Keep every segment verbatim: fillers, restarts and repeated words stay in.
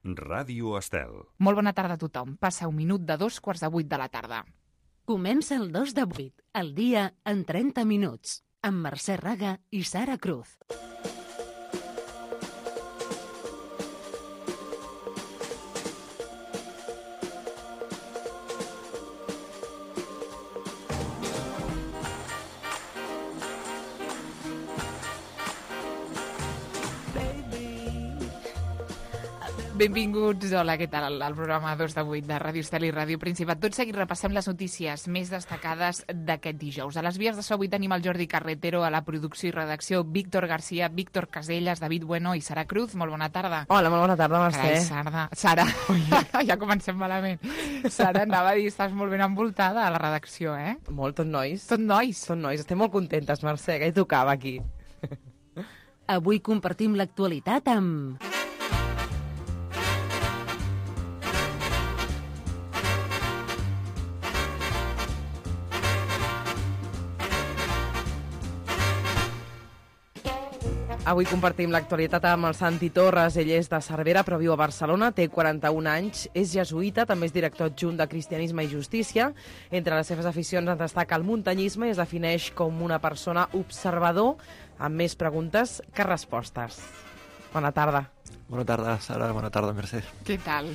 Ràdio Estel. Molt bona tarda a tothom. Passa un minut de dos quarts de vuit de la tarda. Comença el dos de vuit, el dia en trenta minuts, amb Mercè Raga i Sara Cruz. Benvinguts, hola, què tal, al programa dos de vuit de Ràdio Estel i Ràdio Principat. Tot seguit repassem les notícies més destacades d'aquest dijous. A les vies de so avui tenim el Jordi Carretero, a la producció i redacció Víctor Garcia, Víctor Casellas, David Bueno i Sara Cruz. Molt bona tarda. Hola, molt bona tarda, Mercè. Carai, Sara. Sara, ja comencem malament. Sara, anava a dir, estàs molt ben envoltada a la redacció, eh? Molt, tot nois. Tot nois. Tot nois. Estem molt contentes, Mercè, que hi tocava aquí. Avui compartim l'actualitat amb... Avui compartim l'actualitat amb el Santi Torres. Ell és de Cervera, però viu a Barcelona, té quaranta-un anys, és jesuïta, també és director adjunt de Cristianisme i Justícia. Entre les seves aficions en destaca el muntanyisme i es defineix com una persona observador amb més preguntes que respostes. Bona tarda. Bona tarda, Sara. Bona tarda, Mercè. Què tal?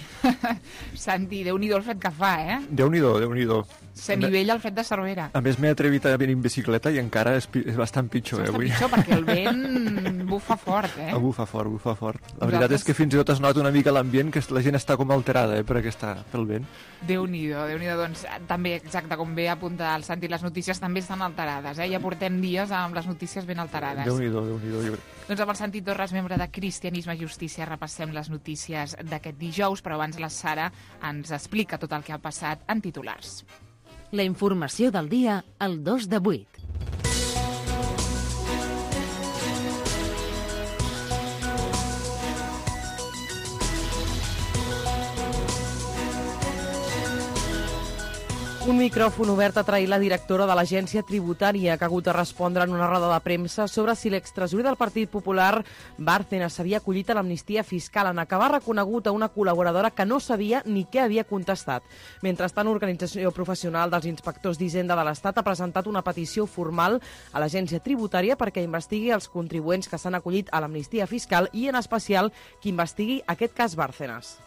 Santi, Déu-n'hi-do el fred que fa, eh? Déu-n'hi-do, Déu-n'hi-do. S'anivella el fred de Cervera. A més, m'he atrevit a venir en bicicleta i encara és, és bastant pitjor, és eh, avui. pitjor perquè el vent bufa fort, eh? Ah, bufa fort, bufa fort. La Nosaltres... veritat és que fins i tot es nota una mica l'ambient, que la gent està com alterada, eh, per aquesta, pel vent. Déu-n'hi-do, Déu-n'hi-do. Doncs també, exacte, com bé apunta el Santi, les notícies també estan alterades, eh? Ja portem dies amb les notícies ben alterades. Déu-n'hi-do, Déu-n'hi-do. Jo... Doncs amb el Santi Torres, membre de Cristianisme i Justícia, repassem les notícies d'aquest dijous, però abans la Sara ens explica tot el que ha passat en titulars. La informació del dia al dos de vuit. Un micròfon obert a trair la directora de l'Agència Tributària, que ha hagut de respondre en una roda de premsa sobre si l'extresorer del Partit Popular, Bárcenas, s'havia acollit a l'amnistia fiscal, en acabar reconegut a una col·laboradora que no sabia ni què havia contestat. Mentrestant, l'Organització Professional dels Inspectors d'Hisenda de l'Estat ha presentat una petició formal a l'Agència Tributària perquè investigui els contribuents que s'han acollit a l'amnistia fiscal i, en especial, que investigui aquest cas Bárcenas.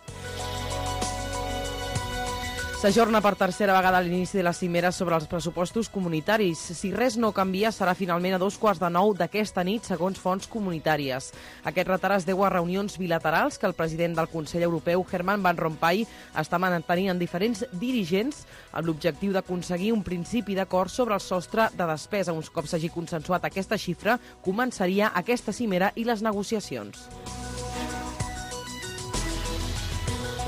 S'ajorna per tercera vegada l'inici de la cimera sobre els pressupostos comunitaris. Si res no canvia, serà finalment a dos quarts de nou d'aquesta nit, segons fonts comunitàries. Aquest retard es deu a reunions bilaterals que el president del Consell Europeu, Herman Van Rompuy, està mantenint en diferents dirigents amb l'objectiu d'aconseguir un principi d'acord sobre el sostre de despesa. Uns cops s'hagi consensuat aquesta xifra, començaria aquesta cimera i les negociacions.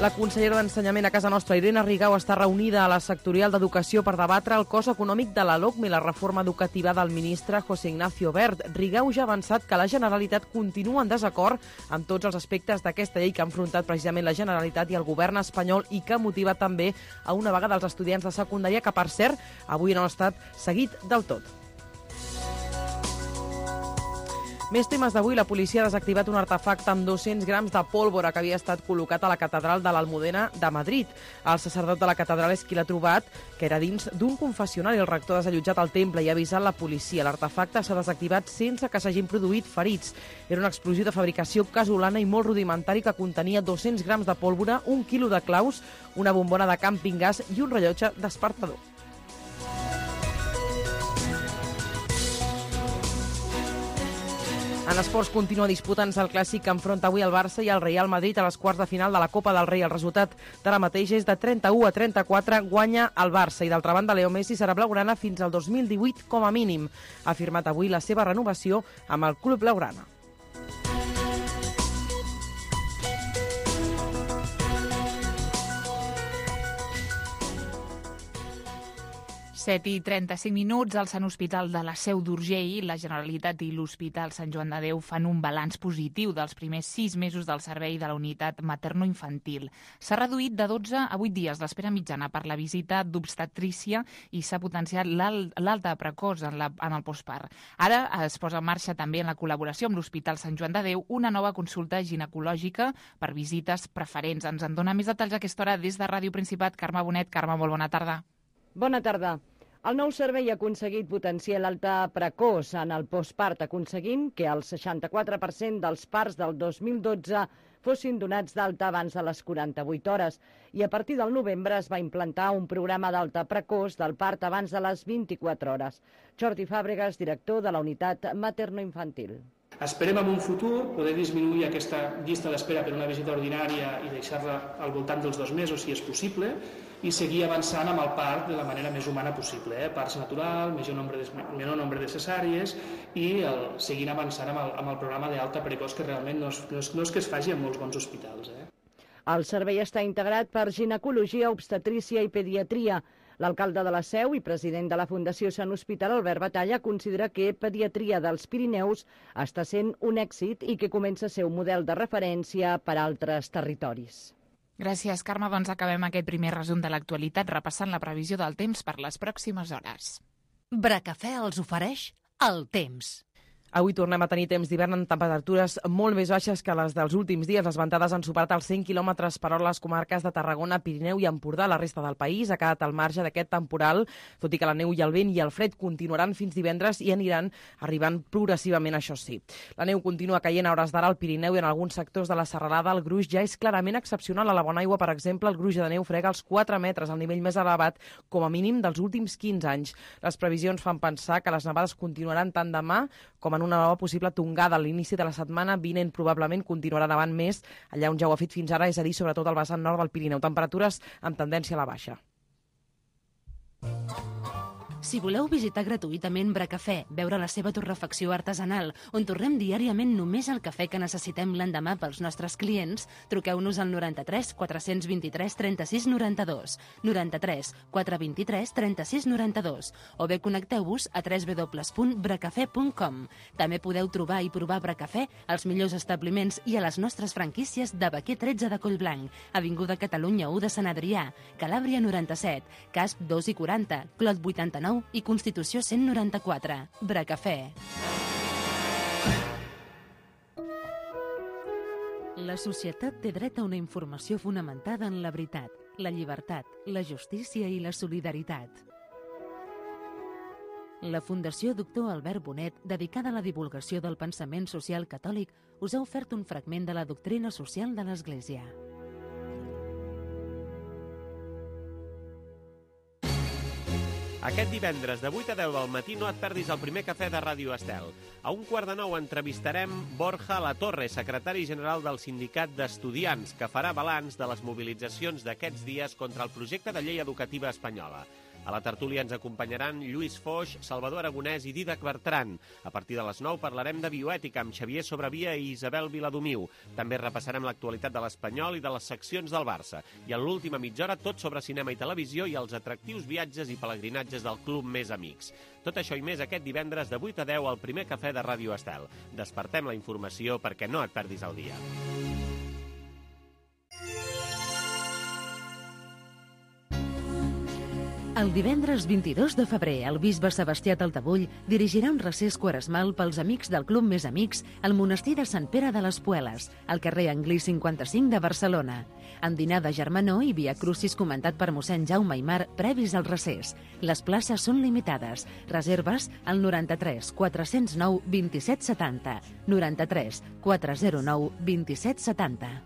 La consellera d'Ensenyament a casa nostra, Irene Rigau, està reunida a la sectorial d'Educació per debatre el cost econòmic de la LOCME i la reforma educativa del ministre José Ignacio Wert. Rigau ja ha avançat que la Generalitat continua en desacord amb tots els aspectes d'aquesta llei que ha enfrontat precisament la Generalitat i el govern espanyol i que motiva també a una vaga dels estudiants de secundària que, per cert, avui no ha estat seguit del tot. Més temes d'avui. La policia ha desactivat un artefacte amb dos-cents grams de pólvora que havia estat col·locat a la catedral de l'Almudena de Madrid. El sacerdot de la catedral és qui l'ha trobat, que era dins d'un confessionari. El rector ha desallotjat el temple i ha avisat la policia. L'artefacte s'ha desactivat sense que s'hagin produït ferits. Era una explosió de fabricació casolana i molt rudimentari que contenia dos-cents grams de pólvora, un quilo de claus, una bombona de càmping gas i un rellotge despertador. En esports continua disputant-se el clàssic que enfronta avui el Barça i el Real Madrid a les quarts de final de la Copa del Rei. El resultat d'ara mateix és de trenta-u a trenta-quatre, guanya el Barça. I d'altra banda, Leo Messi serà blaugrana fins al dos mil divuit com a mínim. Ha firmat avui la seva renovació amb el club blaugrana. set i trenta-cinc minuts, al Sant Hospital de la Seu d'Urgell, la Generalitat i l'Hospital Sant Joan de Déu fan un balanç positiu dels primers sis mesos del servei de la unitat materno-infantil. S'ha reduït de dotze a vuit dies l'espera mitjana per la visita d'obstetrícia i s'ha potenciat l'alta precoç en, la, en el postpart. Ara es posa en marxa també en la col·laboració amb l'Hospital Sant Joan de Déu una nova consulta ginecològica per visites preferents. Ens en dona més detalls a aquesta hora des de Ràdio Principat. Carme Bonet. Carme, molt bona tarda. Bona tarda. El nou servei ha aconseguit potenciar l'alta precoç en el postpart, aconseguint que el seixanta-quatre per cent dels parts del dos mil dotze fossin donats d'alta abans de les quaranta-vuit hores i a partir del novembre es va implantar un programa d'alta precoç del part abans de les vint-i-quatre hores. Jordi Fàbregas, director de la unitat materno-infantil. Esperem en un futur poder disminuir aquesta llista d'espera per una visita ordinària i deixar-la al voltant dels dos mesos, si és possible, i seguir avançant amb el part de la manera més humana possible. Eh? Parts natural, major nombre de, menor nombre de cesàries i el, seguint avançant amb el, amb el programa d'alta precoç, que realment no és, no, és, no és que es faci en molts bons hospitals. Eh? El servei està integrat per ginecologia, obstetrícia i pediatria. L'alcalde de la Seu i president de la Fundació Sant Hospital, Albert Batalla, considera que Pediatria dels Pirineus està sent un èxit i que comença a ser un model de referència per a altres territoris. Gràcies, Carme. Doncs acabem aquest primer resum de l'actualitat repassant la previsió del temps per les pròximes hores. Bracafè els ofereix el temps. Avui tornem a tenir temps d'hivern amb temperatures molt més baixes que les dels últims dies. Les ventades han superat els cent quilòmetres per hora a les comarques de Tarragona, Pirineu i Empordà. La resta del país ha quedat al marge d'aquest temporal, tot i que la neu i el vent i el fred continuaran fins divendres i aniran arribant progressivament, això sí. La neu continua caient a hores d'ara al Pirineu i en alguns sectors de la serralada. El gruix ja és clarament excepcional. A la Bonaigua, per exemple, el gruix de neu frega els quatre metres, el nivell més elevat com a mínim dels últims quinze anys. Les previsions fan pensar que les nevades continuaran tant demà com en una nova possible tongada a l'inici de la setmana vinent. Probablement continuarà nevant més allà on ja ho ha fet fins ara, és a dir, sobretot al vessant nord del Pirineu. Temperatures amb tendència a la baixa. Si voleu visitar gratuïtament Bracafè, veure la seva torrefacció artesanal, on torrem diàriament només el cafè que necessitem l'endemà pels nostres clients, truqueu-nos al noranta-tres quatre vint-i-tres trenta-sis noranta-dos, noranta-tres quatre vint-i-tres trenta-sis noranta-dos, o bé connecteu-vos a w w w punt bracafè punt com. També podeu trobar i provar Bracafè als millors establiments i a les nostres franquícies de Baquer tretze de Collblanc, Avinguda Catalunya u de Sant Adrià, Calàbria noranta-set, Casp dos i quaranta, Clot vuitanta-nou i Constitució cent noranta-quatre. Bracafè. La societat té dret a una informació fonamentada en la veritat, la llibertat, la justícia i la solidaritat. La Fundació Doctor Albert Bonet, dedicada a la divulgació del pensament social catòlic, us ha ofert un fragment de la doctrina social de l'Església. Aquest divendres de vuit a deu del matí no et perdis el primer cafè de Ràdio Estel. A un quart de nou entrevistarem Borja Latorre, secretari general del Sindicat d'Estudiants, que farà balanç de les mobilitzacions d'aquests dies contra el projecte de llei educativa espanyola. A la tertúlia ens acompanyaran Lluís Foix, Salvador Aragonès i Didac Bertran. A partir de les nou parlarem de bioètica amb Xavier Sobrevia i Isabel Viladomiu. També repassarem l'actualitat de l'Espanyol i de les seccions del Barça. I en l'última mitja hora tot sobre cinema i televisió i els atractius viatges i pelegrinatges del Club Més Amics. Tot això i més aquest divendres de vuit a deu al primer cafè de Ràdio Estel. Despertem la informació perquè no et perdis el dia. El divendres vint-i-dos de febrer, el bisbe Sebastià Taltabull dirigirà un recés quaresmal pels amics del Club Més Amics al monestir de Sant Pere de les Pueles, al carrer Anglí cinquanta-cinc de Barcelona. Amb dinar de germanor i via crucis comentat per mossèn Jaume Aimar previs al recés. Les places són limitades. Reserves al noranta-tres quatre zero nou vint-i-set setanta, noranta-tres quatre zero nou vint-i-set setanta.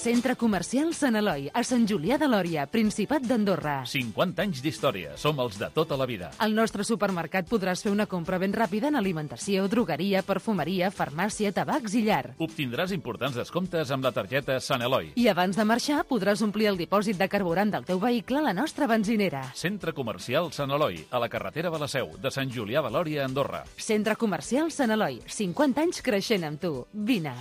Centre Comercial Sant Eloi, a Sant Julià de Lòria, Principat d'Andorra. cinquanta anys d'història. Som els de tota la vida. Al nostre supermercat podràs fer una compra ben ràpida en alimentació, drogueria, perfumeria, farmàcia, tabacs i llar. Obtindràs importants descomptes amb la targeta Sant Eloi. I abans de marxar podràs omplir el dipòsit de carburant del teu vehicle a la nostra benzinera. Centre Comercial Sant Eloi, a la carretera de la Seu, de Sant Julià de Lòria, Andorra. Centre Comercial Sant Eloi, cinquanta anys creixent amb tu. Vine.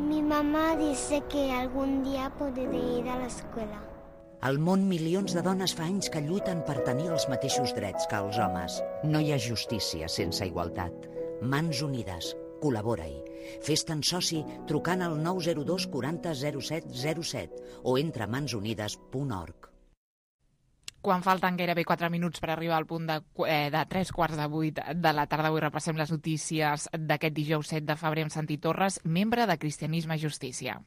Mi mamá dice que algún día podré ir a l'escola. Al món, milions de dones fa anys que lluiten per tenir els mateixos drets que els homes. No hi ha justícia sense igualtat. Mans unides. Col·labora-hi. Fes-te'n soci trucant al nou zero dos quaranta zero set zero set o entra a mans unides punt org. Quan falten gairebé quatre minuts per arribar al punt de, eh, de tres quarts de vuit de la tarda, avui repassem les notícies d'aquest dijous set de febrer amb Santi Torres, membre de Cristianisme i Justícia.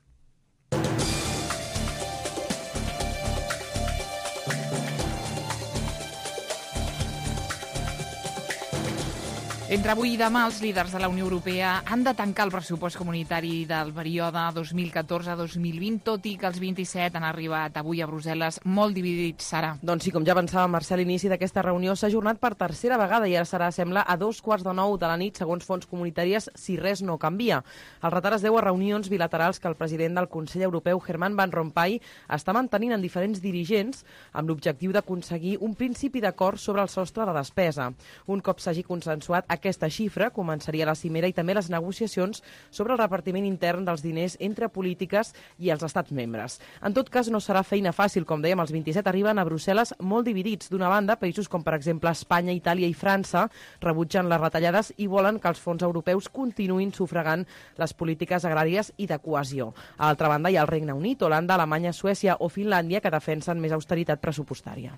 Entre avui i demà, els líders de la Unió Europea han de tancar el pressupost comunitari del període dos mil catorze dos mil vint, tot i que els vint-i-set han arribat avui a Brussel·les molt dividits, Sara. Doncs sí, com ja pensava Mercè, l'inici d'aquesta reunió s'ha ajornat per tercera vegada i ara serà, sembla, a dos quarts de nou de la nit, segons fonts comunitàries, si res no canvia. El retard es deu a reunions bilaterals que el president del Consell Europeu, Herman Van Rompuy, està mantenint en diferents dirigents amb l'objectiu d'aconseguir un principi d'acord sobre el sostre de despesa. Un cop s'hagi consensuat aquesta xifra, començaria la cimera i també les negociacions sobre el repartiment intern dels diners entre polítiques i els estats membres. En tot cas, no serà feina fàcil. Com dèiem, els vint-i-set arriben a Brussel·les molt dividits. D'una banda, països com, per exemple, Espanya, Itàlia i França rebutgen les retallades i volen que els fons europeus continuïn sufragant les polítiques agràries i de cohesió. A l'altra banda, hi ha el Regne Unit, Holanda, Alemanya, Suècia o Finlàndia, que defensen més austeritat pressupostària.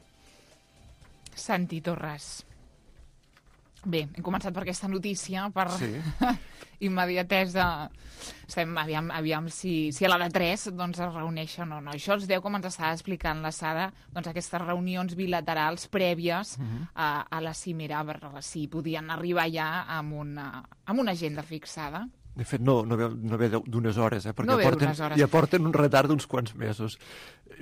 Santi Torres. Bé, hem començat per aquesta notícia, per sí. immediatesa. Estem, aviam, aviam si, si a la de tres doncs, es reuneixen o no. Això els deu, com ens estava explicant la Sara, doncs, aquestes reunions bilaterals prèvies uh-huh. a, a la cimera, per si podien arribar ja amb una, amb una agenda fixada. De fet, no, no ve, no ve d'unes hores, eh, perquè no aporten, hores. i aporten un retard d'uns quants mesos.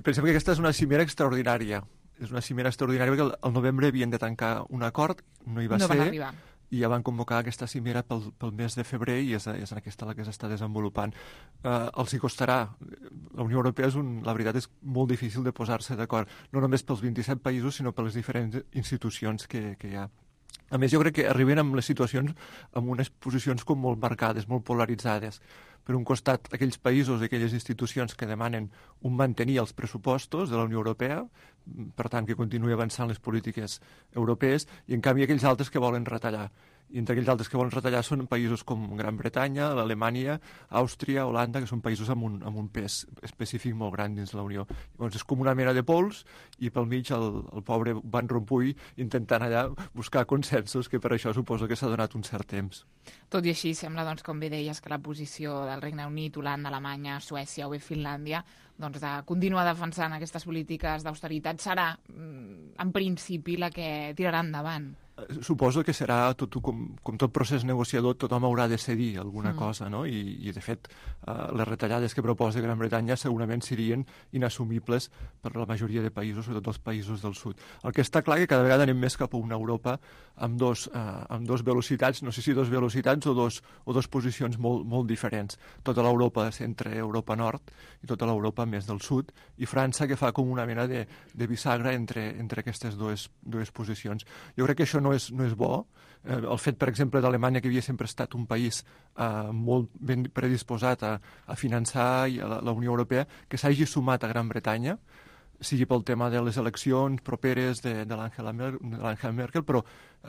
Pensem que aquesta és una cimera extraordinària. És una cimera extraordinària perquè al novembre havien de tancar un acord, no hi va no ser, van arribar. I ja van convocar aquesta cimera pel, pel mes de febrer i és, és en aquesta la que s'està desenvolupant. Uh, els hi costarà. La Unió Europea, és un, la veritat, és molt difícil de posar-se d'acord, no només pels vint-i-set països, sinó per les diferents institucions que, que hi ha. A més, jo crec que arriben amb les situacions amb unes posicions com molt marcades, molt polaritzades. Per un costat, aquells països i aquelles institucions que demanen un mantenir els pressupostos de la Unió Europea, per tant, que continuï avançant les polítiques europees, i en canvi aquells altres que volen retallar. I entre aquells altres que volen retallar són països com Gran Bretanya, l'Alemanya, Àustria, Holanda, que són països amb un, amb un pes específic molt gran dins la Unió. Llavors és com una mena de pols i pel mig el, el pobre Van Rompuy intentant allà buscar consensos, que per això suposo que s'ha donat un cert temps. Tot i així, sembla, doncs, com bé deies, que la posició del Regne Unit, Holanda, Alemanya, Suècia o bé Finlàndia, doncs, de continuar defensant aquestes polítiques d'austeritat serà, en principi, la que tirarà endavant. Suposo que serà, tot, com, com tot procés negociador, tothom haurà de cedir alguna mm. cosa, no? I, i de fet, uh, les retallades que proposa Gran Bretanya segurament serien inassumibles per la majoria de països, sobretot els països del sud. El que està clar que cada vegada anem més cap a una Europa amb dos, uh, amb dos velocitats, no sé si dos velocitats o dos, o dos posicions molt, molt diferents. Tota l'Europa centre Europa Nord i tota l'Europa més del sud, i França, que fa com una mena de, de bisagra entre, entre aquestes dues, dues posicions. Jo crec que això no és, no és bo. Eh, el fet, per exemple, d'Alemanya, que havia sempre estat un país eh, molt ben predisposat a, a finançar i a la, la Unió Europea, que s'hagi sumat a Gran Bretanya, sigui pel tema de les eleccions properes de, de l'Angela Merkel, però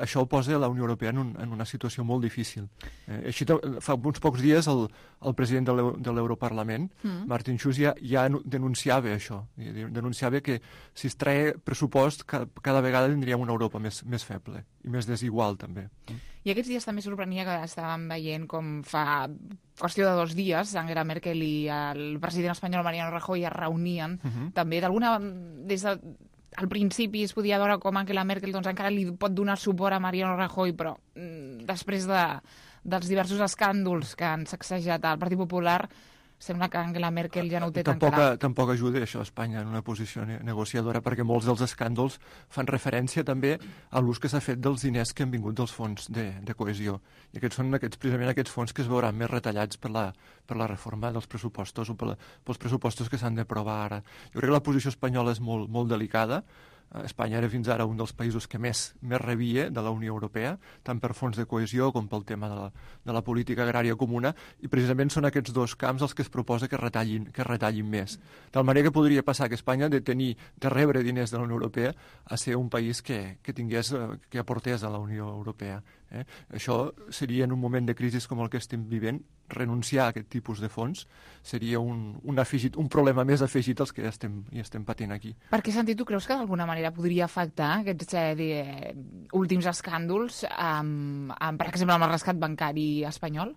això ho posa la Unió Europea en, un, en una situació molt difícil. Eh, així, fa uns pocs dies el, el president de l'Europarlament, mm. Martin Schulz, ja, ja denunciava això. Denunciava que si es treia pressupost, cada, cada vegada tindríem una Europa més, més feble i més desigual, també. I aquests dies també sorprenia que estàvem veient com fa qüestió de dos dies Angela Merkel i el president espanyol Mariano Rajoy es reunien. Uh-huh. També d'alguna... des de, al principi es podia veure com Angela Merkel doncs, encara li pot donar suport a Mariano Rajoy, però mm, després de, dels diversos escàndols que han sacsejat al Partit Popular, sembla que Angela Merkel ja no ho té tampoc, tan clar. Tampoc ajuda això a Espanya en una posició ne negociadora, perquè molts dels escàndols fan referència també a l'ús que s'ha fet dels diners que han vingut dels fons de, de cohesió. I aquests són aquests, precisament aquests fons que es veuran més retallats per la, per la reforma dels pressupostos o per la, pels pressupostos que s'han d'aprovar ara. Jo crec que la posició espanyola és molt, molt delicada. Espanya era fins ara un dels països que més, més rebia de la Unió Europea, tant per fons de cohesió com pel tema de la, de la política agrària comuna, i precisament són aquests dos camps els que es proposa que retallin, que retallin més. De tal manera que podria passar que Espanya de tenir, de rebre diners de la Unió Europea a ser un país que, que tingués, que aportés a la Unió Europea. Eh? Això seria, en un moment de crisi com el que estem vivint, renunciar a aquest tipus de fons seria un, un, afegit, un problema més afegit als que estem, hi estem patint aquí. Perquè, Santi, tu creus que d'alguna manera podria afectar aquests eh, últims escàndols, amb, amb, per exemple, amb el rescat bancari espanyol?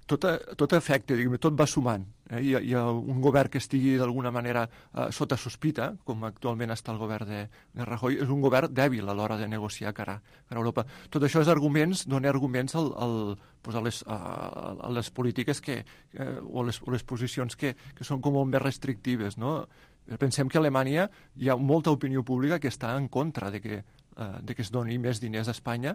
Tot, tot afecta, diguem, tot va sumant. Eh? Hi, ha, hi ha un govern que estigui d'alguna manera eh, sota sospita, com actualment està el govern de, de Rajoy, és un govern dèbil a l'hora de negociar cara, cara a Europa. Tot això és arguments, dona arguments al, al, pues a, les, a, a les polítiques que, eh, o, les, o les posicions que, que són com molt més restrictives, no? Pensem que a Alemanya hi ha molta opinió pública que està en contra de que de que es doni més diners a Espanya.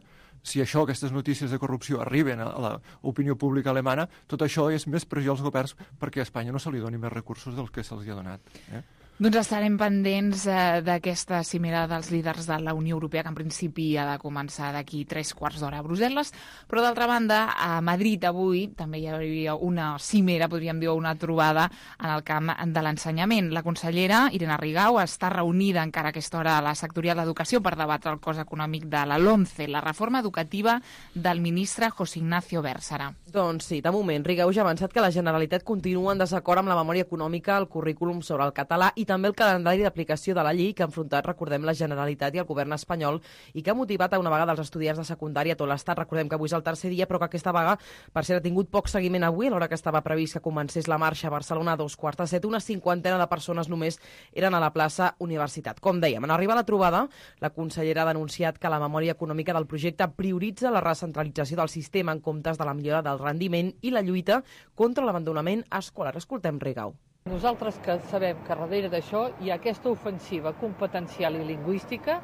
Si això, aquestes notícies de corrupció arriben a l'opinió pública alemana, tot això és més pressió als governs perquè a Espanya no se li doni més recursos dels que se'ls ha donat. Eh? Doncs estarem pendents eh, d'aquesta cimera dels líders de la Unió Europea, que en principi ha de començar d'aquí tres quarts d'hora a Brussel·les, però d'altra banda, a Madrid avui també hi hauria una cimera, podríem dir, una trobada en el camp de l'ensenyament. La consellera Irene Rigau està reunida encara a aquesta hora a la sectorial d'Educació per debatre el cost econòmic de la LOMCE, la reforma educativa del ministre José Ignacio Bércera. Doncs sí, de moment, Rigau ja ha avançat que la Generalitat continua en desacord amb la memòria econòmica, el currículum sobre el català i també el calendari d'aplicació de la llei que ha enfrontat, recordem, la Generalitat i el govern espanyol i que ha motivat a una vaga dels estudiants de secundària a tot l'Estat. Recordem que avui és el tercer dia, però que aquesta vaga, per cert, ha tingut poc seguiment avui, a l'hora que estava previst que comencés la marxa a Barcelona a dos quarts de set. Una cinquantena de persones només eren a la plaça Universitat. Com dèiem, en arribar a la trobada, la consellera ha denunciat que la memòria econòmica del projecte prioritza la recentralització del sistema en comptes de la millora del rendiment i la lluita contra l'abandonament escolar. Escoltem Rigau. Nosaltres que sabem que darrere d'això hi ha aquesta ofensiva competencial i lingüística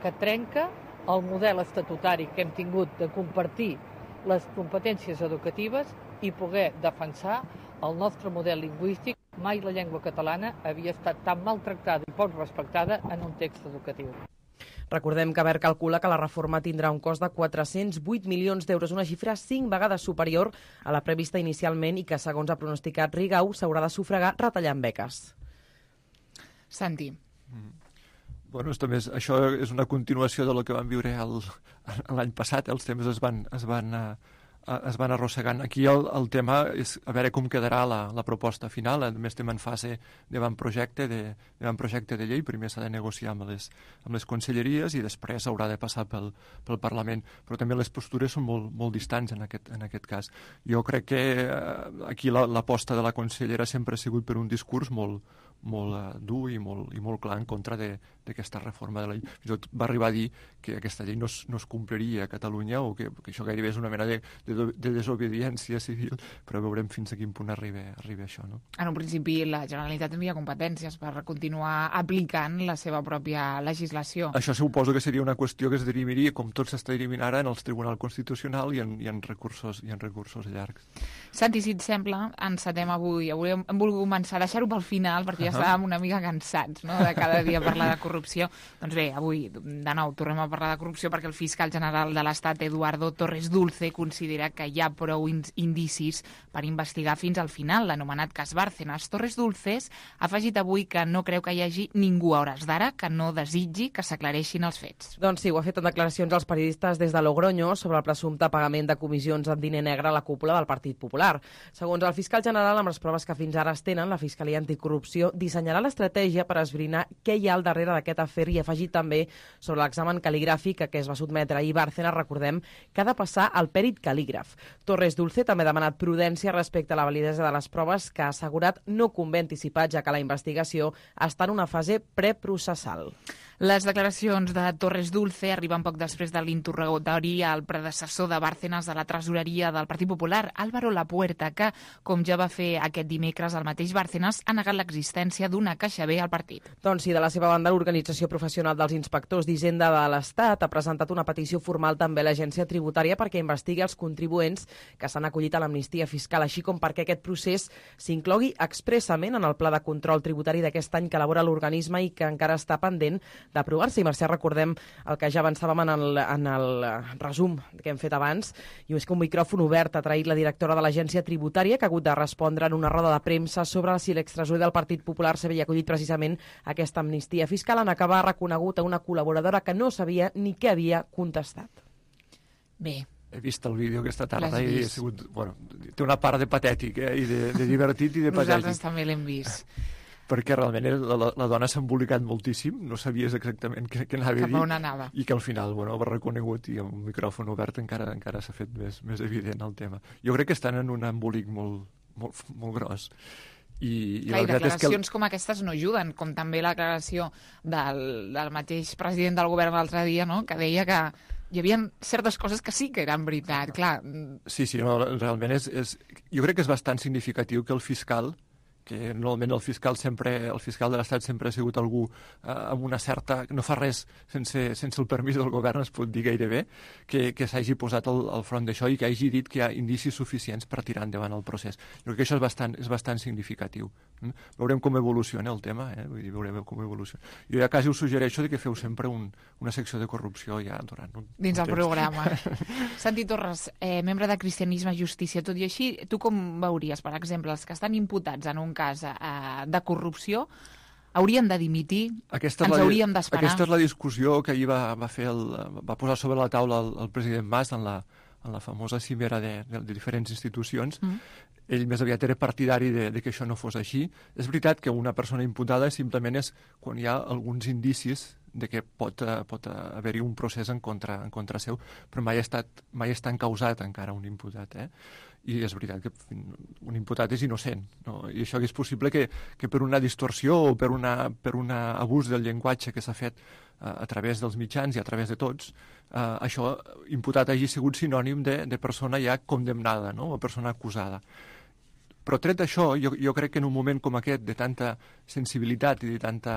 que trenca el model estatutari que hem tingut de compartir les competències educatives i poder defensar el nostre model lingüístic. Mai la llengua catalana havia estat tan maltractada i poc respectada en un text educatiu. Recordem que Wert calcula que la reforma tindrà un cost de quatre-cents vuit milions d'euros, una xifra cinc vegades superior a la prevista inicialment i que, segons ha pronosticat Rigau, s'haurà de sufragar retallant beques. Santi. Mm. Bueno, també és, això és una continuació de lo que vam viure l'any passat. Els temes es van, es van uh, es van arrossegant. Aquí el, el tema és a veure com quedarà la, la proposta final. A més, estem en fase d'avantprojecte de, d'avantprojecte de llei. Primer s'ha de negociar amb les, amb les conselleries i després haurà de passar pel, pel Parlament. Però també les postures són molt, molt distants en aquest, en aquest cas. Jo crec que eh, aquí l'aposta la, de la consellera sempre ha sigut per un discurs molt, molt uh, dur i molt, i molt clar en contra d'aquesta reforma de la llei. Fins i tot va arribar a dir que aquesta llei no es, no es compliria a Catalunya o que, que això gairebé és una mena de, de, de desobediència civil, però veurem fins a quin punt arriba, arriba això. No? En un principi la Generalitat tindria competències per continuar aplicant la seva pròpia legislació. Això suposo que seria una qüestió que es dirimiria, com tot s'està dirimint ara, en el Tribunal Constitucional i en, i en, recursos, i en recursos llargs. Santi, si et sembla, encetem avui. Avui hem, hem volgut començar a deixar-ho pel final, perquè ja estàvem una mica cansats, no?, de cada dia parlar de corrupció. Doncs bé, avui, de nou, tornem a parlar de corrupció perquè el fiscal general de l'Estat, Eduardo Torres Dulce, considera que hi ha prou indicis per investigar fins al final l'anomenat cas Bárcenas. Torres Dulces ha afegit avui que no creu que hi hagi ningú a hores d'ara que no desitgi que s'aclareixin els fets. Doncs sí, ho ha fet en declaracions als periodistes des de Logroño sobre el presumpte pagament de comissions en diner negre a la cúpula del Partit Popular. Segons el fiscal general, amb les proves que fins ara es tenen, la Fiscalia Anticorrupció dissenyarà l'estratègia per esbrinar què hi ha al darrere d'aquest afer i ha afegit també sobre l'examen cal·ligràfic a què es va sotmetre ahir Bárcenas, recordem, que ha de passar al pèrit cal·lígraf. Torres Dulce també ha demanat prudència respecte a la validesa de les proves, que ha assegurat no convé anticipar, ja que la investigació està en una fase preprocessal. Les declaracions de Torres Dulce arriben poc després de l'interrogatori al predecessor de Bárcenas de la tresoreria del Partit Popular, Álvaro Lapuerta, que, com ja va fer aquest dimecres el mateix Bárcenas, ha negat l'existència d'una caixa B al partit. Doncs sí, de la seva banda, l'Organització Professional dels Inspectors d'Hisenda de l'Estat ha presentat una petició formal també a l'Agència Tributària perquè investigui els contribuents que s'han acollit a l'amnistia fiscal, així com perquè aquest procés s'inclogui expressament en el pla de control tributari d'aquest any que elabora l'organisme i que encara està pendent d'aprovar-se. I, Mercè, recordem el que ja avançàvem en el, en el resum que hem fet abans, i és que un micròfon obert ha traït la directora de l'Agència Tributària, que ha hagut de respondre en una roda de premsa sobre si l'extresorer del Partit Popular s'havia acollit precisament aquesta amnistia fiscal, en acabar reconegut a una col·laboradora que no sabia ni què havia contestat. Bé. He vist el vídeo aquesta tarda i ha sigut, bueno, té una part de patètic, eh, i de, de divertit i de patètic. Nosaltres també l'hem vist. Perquè realment la, la, la dona s'ha embolicat moltíssim, no sabies exactament què, què anava a dir. Cap a on anava. I que al final, bueno, va reconegut i amb un micròfon obert encara encara s'ha fet més, més evident el tema. Jo crec que estan en un embolic molt, molt, molt gros. I, i, Clar, i declaracions que el... com aquestes no ajuden, com també la declaració del, del mateix president del govern l'altre dia, no?, que deia que hi havia certes coses que sí que eren veritat, clar. Sí, sí, no, realment és, és... Jo crec que és bastant significatiu que el fiscal, que normalment el fiscal sempre, el fiscal de l'Estat sempre ha sigut algú eh, amb una certa... no fa res sense, sense el permís del govern, es pot dir gairebé, que, que s'hagi posat al, al front d'això i que hagi dit que hi ha indicis suficients per tirar endavant el procés. Jo crec que això és bastant, és bastant significatiu. Mm? Veurem com evoluciona el tema, eh? Vull dir, veurem com evoluciona. Jo ja quasi us suggereixo de que feu sempre un, una secció de corrupció ja durant un, dins un el programa. Santi Torres, eh, membre de Cristianisme i Justícia, tot i així, tu com veuries, per exemple, els que estan imputats en un cas eh, de corrupció, haurien de dimitir? Aquesta Ens la, hauríem d'esperar? Aquesta és la discussió que ahir va, va, fer el, va posar sobre la taula el, el president Mas en la, en la famosa cimera de, de, de diferents institucions. Mm. Ell més aviat era partidari de, de que això no fos així. És veritat que una persona imputada simplement és quan hi ha alguns indicis de que pot, pot haver-hi un procés en contra, en contra seu, però mai ha estat, mai està encausat encara un imputat, eh? I és veritat que un imputat és innocent, no? I això és possible que, que per una distorsió o per un per una abús del llenguatge que s'ha fet uh, a través dels mitjans i a través de tots, uh, això imputat hagi sigut sinònim de, de persona ja condemnada, no? O persona acusada. Però tret d'això, jo, jo crec que en un moment com aquest, de tanta sensibilitat i de tanta...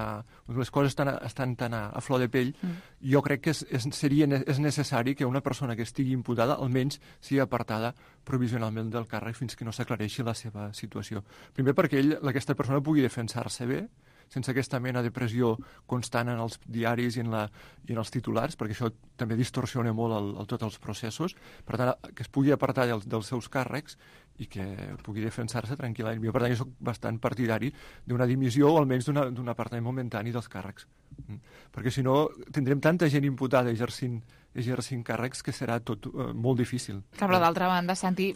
les coses estan, estan tan a, a flor de pell, mm. jo crec que és, és, seria, és necessari que una persona que estigui imputada almenys sigui apartada provisionalment del càrrec fins que no s'aclareixi la seva situació. Primer perquè ell, aquesta persona pugui defensar-se bé, sense aquesta mena de pressió constant en els diaris i en, la, i en els titulars, perquè això també distorsiona molt el, el, tots els processos. Per tant, que es pugui apartar dels, dels seus càrrecs i que pugui defensar-se tranquil·lament. Jo, per tant, jo soc bastant partidari d'una dimissió o almenys d'un apartament momentani dels càrrecs. Mm. Perquè si no, tindrem tanta gent imputada exercint, exercint càrrecs que serà tot uh, molt difícil. Clar, però d'altra banda, Santi,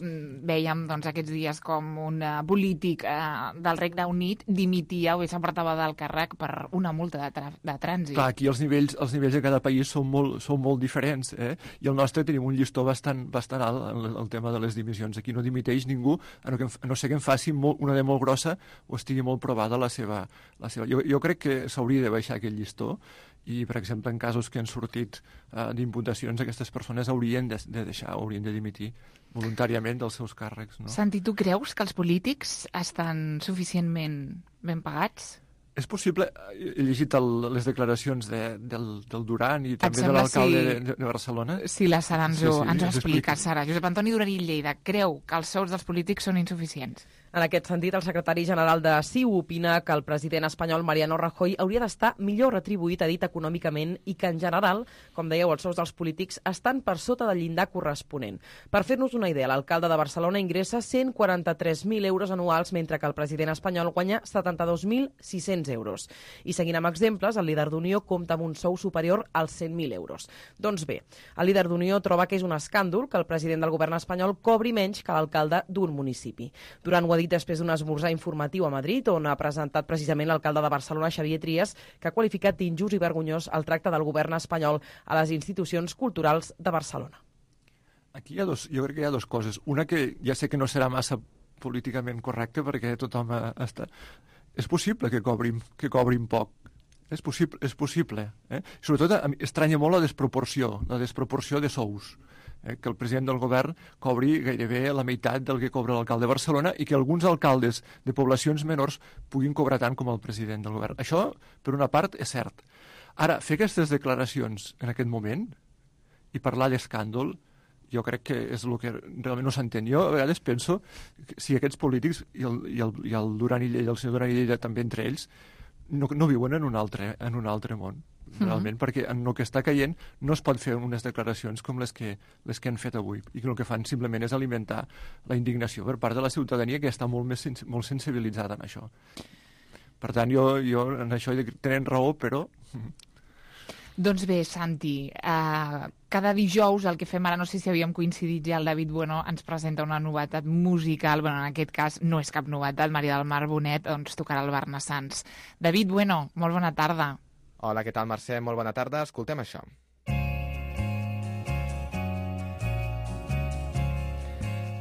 veiem doncs, aquests dies com un uh, polític uh, del Regne Unit dimitia o s'apartava del càrrec per una multa de, tra de trànsit. Clar, aquí els nivells, els nivells de cada país són molt, són molt diferents, eh? I el nostre tenim un llistó bastant, bastant alt en el, el tema de les dimissions. Aquí no dimiteix ningú, a no, que, a no ser que en faci molt, una de molt grossa o estigui molt provada la seva... La seva... Jo, jo crec que s'hauria de baixar aquest llistó i, per exemple, en casos que han sortit uh, d'imputacions, aquestes persones haurien de, de deixar, haurien de dimitir voluntàriament dels seus càrrecs. No? Santi, tu creus que els polítics estan suficientment ben pagats? És possible, he llegit el, les declaracions de, del, del Duran i també de l'alcalde si, de, de Barcelona. Si la Sara ens, sí, sí, ens ho explica, Sara. Josep Antoni Duran i Lleida creu que els sous dels polítics són insuficients. En aquest sentit, el secretari general de C I U opina que el president espanyol Mariano Rajoy hauria d'estar millor retribuït, ha dit, econòmicament, i que, en general, com dèieu, els sous dels polítics estan per sota del llindar corresponent. Per fer-nos una idea, l'alcalde de Barcelona ingressa cent quaranta-tres mil euros anuals, mentre que el president espanyol guanya setanta-dos mil sis-cents euros. I seguint amb exemples, el líder d'Unió compta amb un sou superior als cent mil euros. Doncs bé, el líder d'Unió troba que és un escàndol que el president del govern espanyol cobri menys que l'alcalde d'un municipi. Durant ho ha dit després d'un esmorzar informatiu a Madrid, on ha presentat precisament l'alcalde de Barcelona, Xavier Trias, que ha qualificat d'injust i vergonyós el tracte del govern espanyol a les institucions culturals de Barcelona. Aquí hi ha dos, jo crec que hi ha dues coses. Una que ja sé que no serà massa políticament correcta perquè tothom està... És possible que cobrin, que cobrin poc. És possible. És possible eh? Sobretot estranya molt la desproporció, la desproporció de sous. Eh? Que el president del govern cobri gairebé la meitat del que cobra l'alcalde de Barcelona i que alguns alcaldes de poblacions menors puguin cobrar tant com el president del govern. Això, per una part, és cert. Ara, fer aquestes declaracions en aquest moment i parlar d'escàndol, jo crec que és el que realment no s'entén. Jo a vegades penso que si aquests polítics, i el, i el, i el Duran i Lleida, el senyor Duran i Lleida també entre ells, no, no viuen en un altre, en un altre món, realment, mm-hmm. perquè en el que està caient no es pot fer unes declaracions com les que, les que han fet avui, i que el que fan simplement és alimentar la indignació per part de la ciutadania, que està molt, més sens molt sensibilitzada en això. Per tant, jo, jo en això tenen raó, però... Doncs bé, Santi, eh, cada dijous el que fem ara, no sé si havíem coincidit ja, el David Bueno ens presenta una novetat musical, bueno, en aquest cas no és cap novetat, Maria del Mar Bonet doncs tocarà el Barnassans. David Bueno, molt bona tarda. Hola, què tal, Mercè? Molt bona tarda. Escoltem això.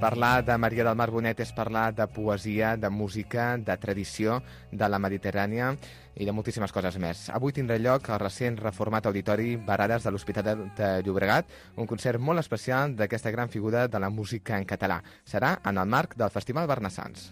Parlar de Maria del Mar Bonet és parlar de poesia, de música, de tradició, de la Mediterrània i de moltíssimes coses més. Avui tindrà lloc al recent reformat auditori Barades de l'Hospitalet de Llobregat, un concert molt especial d'aquesta gran figura de la música en català. Serà en el marc del Festival Barnassans.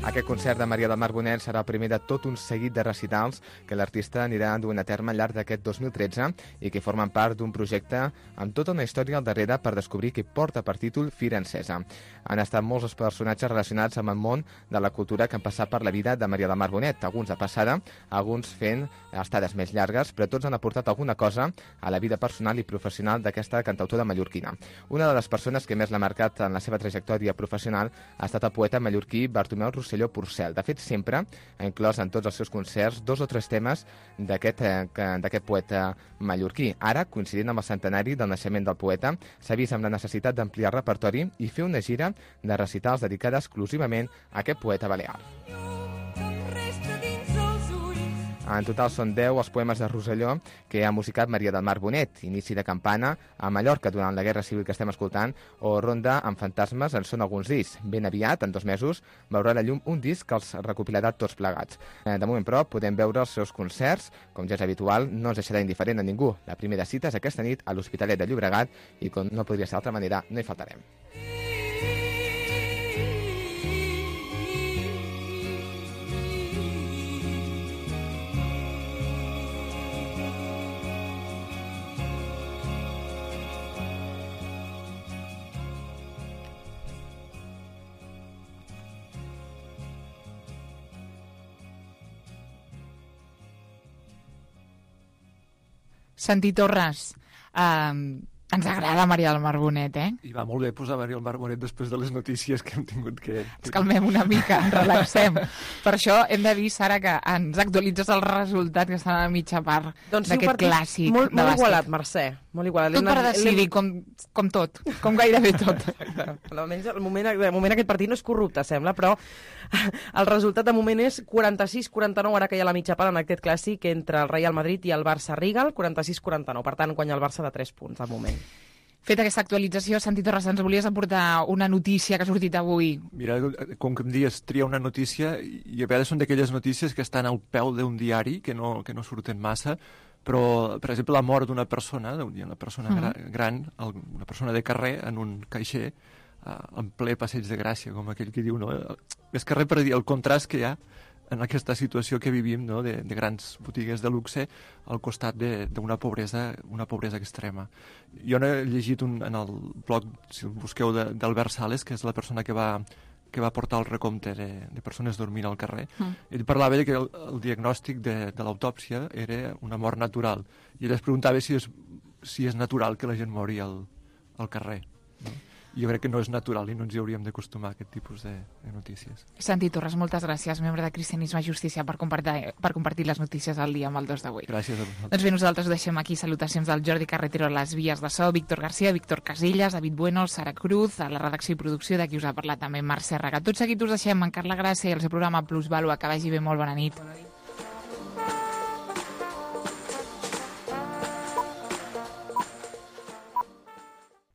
Aquest concert de Maria del Mar Bonet serà el primer de tot un seguit de recitals que l'artista anirà duent a terme al llarg d'aquest dos mil tretze i que formen part d'un projecte amb tota una història al darrere per descobrir que porta per títol Fira Encesa. Han estat molts els personatges relacionats amb el món de la cultura que han passat per la vida de Maria del Mar Bonet, alguns de passada, alguns fent estades més llargues, però tots han aportat alguna cosa a la vida personal i professional d'aquesta cantautora mallorquina. Una de les persones que més l'ha marcat en la seva trajectòria professional ha estat el poeta mallorquí Bartomeu Rosselló Porcel. De fet, sempre ha inclòs en tots els seus concerts dos o tres temes d'aquest eh, poeta mallorquí. Ara, coincidint amb el centenari del naixement del poeta, s'ha vist amb la necessitat d'ampliar el repertori i fer una gira de recitals dedicada exclusivament a aquest poeta balear. En total són deu els poemes de Rosselló que ha musicat Maria del Mar Bonet, Inici de campana, a Mallorca durant la Guerra Civil que estem escoltant, o Ronda amb fantasmes en són alguns discs. Ben aviat, en dos mesos, veurà la llum un disc que els recopilarà tots plegats. De moment, però, podem veure els seus concerts, com ja és habitual, no ens deixarà indiferent a ningú. La primera cita és aquesta nit a l'Hospitalet de Llobregat i, com no podria ser d'altra manera, no hi faltarem. Santi Torres, eh, ens agrada Maria del Mar Bonet, eh? I va molt bé posar Maria del Mar Bonet després de les notícies que hem tingut que... Ens calmem una mica, ens relaxem. Per això hem de dir, Sara, que ens actualitzes el resultat que estan a mitja part doncs d'aquest sí, clàssic molt, de molt bàsquet. Igualat, Mercè. Molt igualat. Tot per decidir, com, com tot, com gairebé tot. Almenys el moment, de moment aquest partit no és corrupte, sembla, però el resultat de moment és quaranta-sis quaranta-nou, ara que hi ha la mitja part en aquest clàssic entre el Real Madrid i el Barça-Rigal, quaranta-sis quaranta-nou. Per tant, guanya el Barça de tres punts al moment. Feta aquesta actualització, Santi Torres, ens volies aportar una notícia que ha sortit avui. Mira, com que em dius, tria una notícia, i a vegades són d'aquelles notícies que estan al peu d'un diari, que no, que no surten massa, però, per exemple, la mort d'una persona, una persona uh-huh. gran, una persona de carrer, en un caixer, en ple passeig de Gràcia, com aquell que diu, no? Més que res per dir el contrast que hi ha en aquesta situació que vivim, no? de, de grans botigues de luxe al costat d'una pobresa, una pobresa extrema. Jo he llegit un, en el blog, si el busqueu, d'Albert Sales, que és la persona que va, que va portar el recompte de, de persones dormint al carrer. Mm. Ell parlava de que el, el diagnòstic de, de l'autòpsia era una mort natural. I ell es preguntava si és, si és natural que la gent mori al, al carrer. No? Jo crec que no és natural i no ens hi hauríem d'acostumar a aquest tipus de, de notícies. Santi Torres, moltes gràcies, membre de Cristianisme i Justícia, per compartir, per compartir les notícies al dia amb el dos d'avui. Gràcies a vosaltres. Doncs bé, nosaltres ho deixem aquí. Salutacions del Jordi Carretero a les vies de so, Víctor García, Víctor Casillas, David Bueno, Sara Cruz, a la redacció i producció de qui us ha parlat també Mercè Raga. Tot seguit us deixem en Carla Gràcia i el seu programa Plus Vàlua. Que vagi bé, molt bona nit. Bona nit.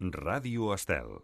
Ràdio Estel.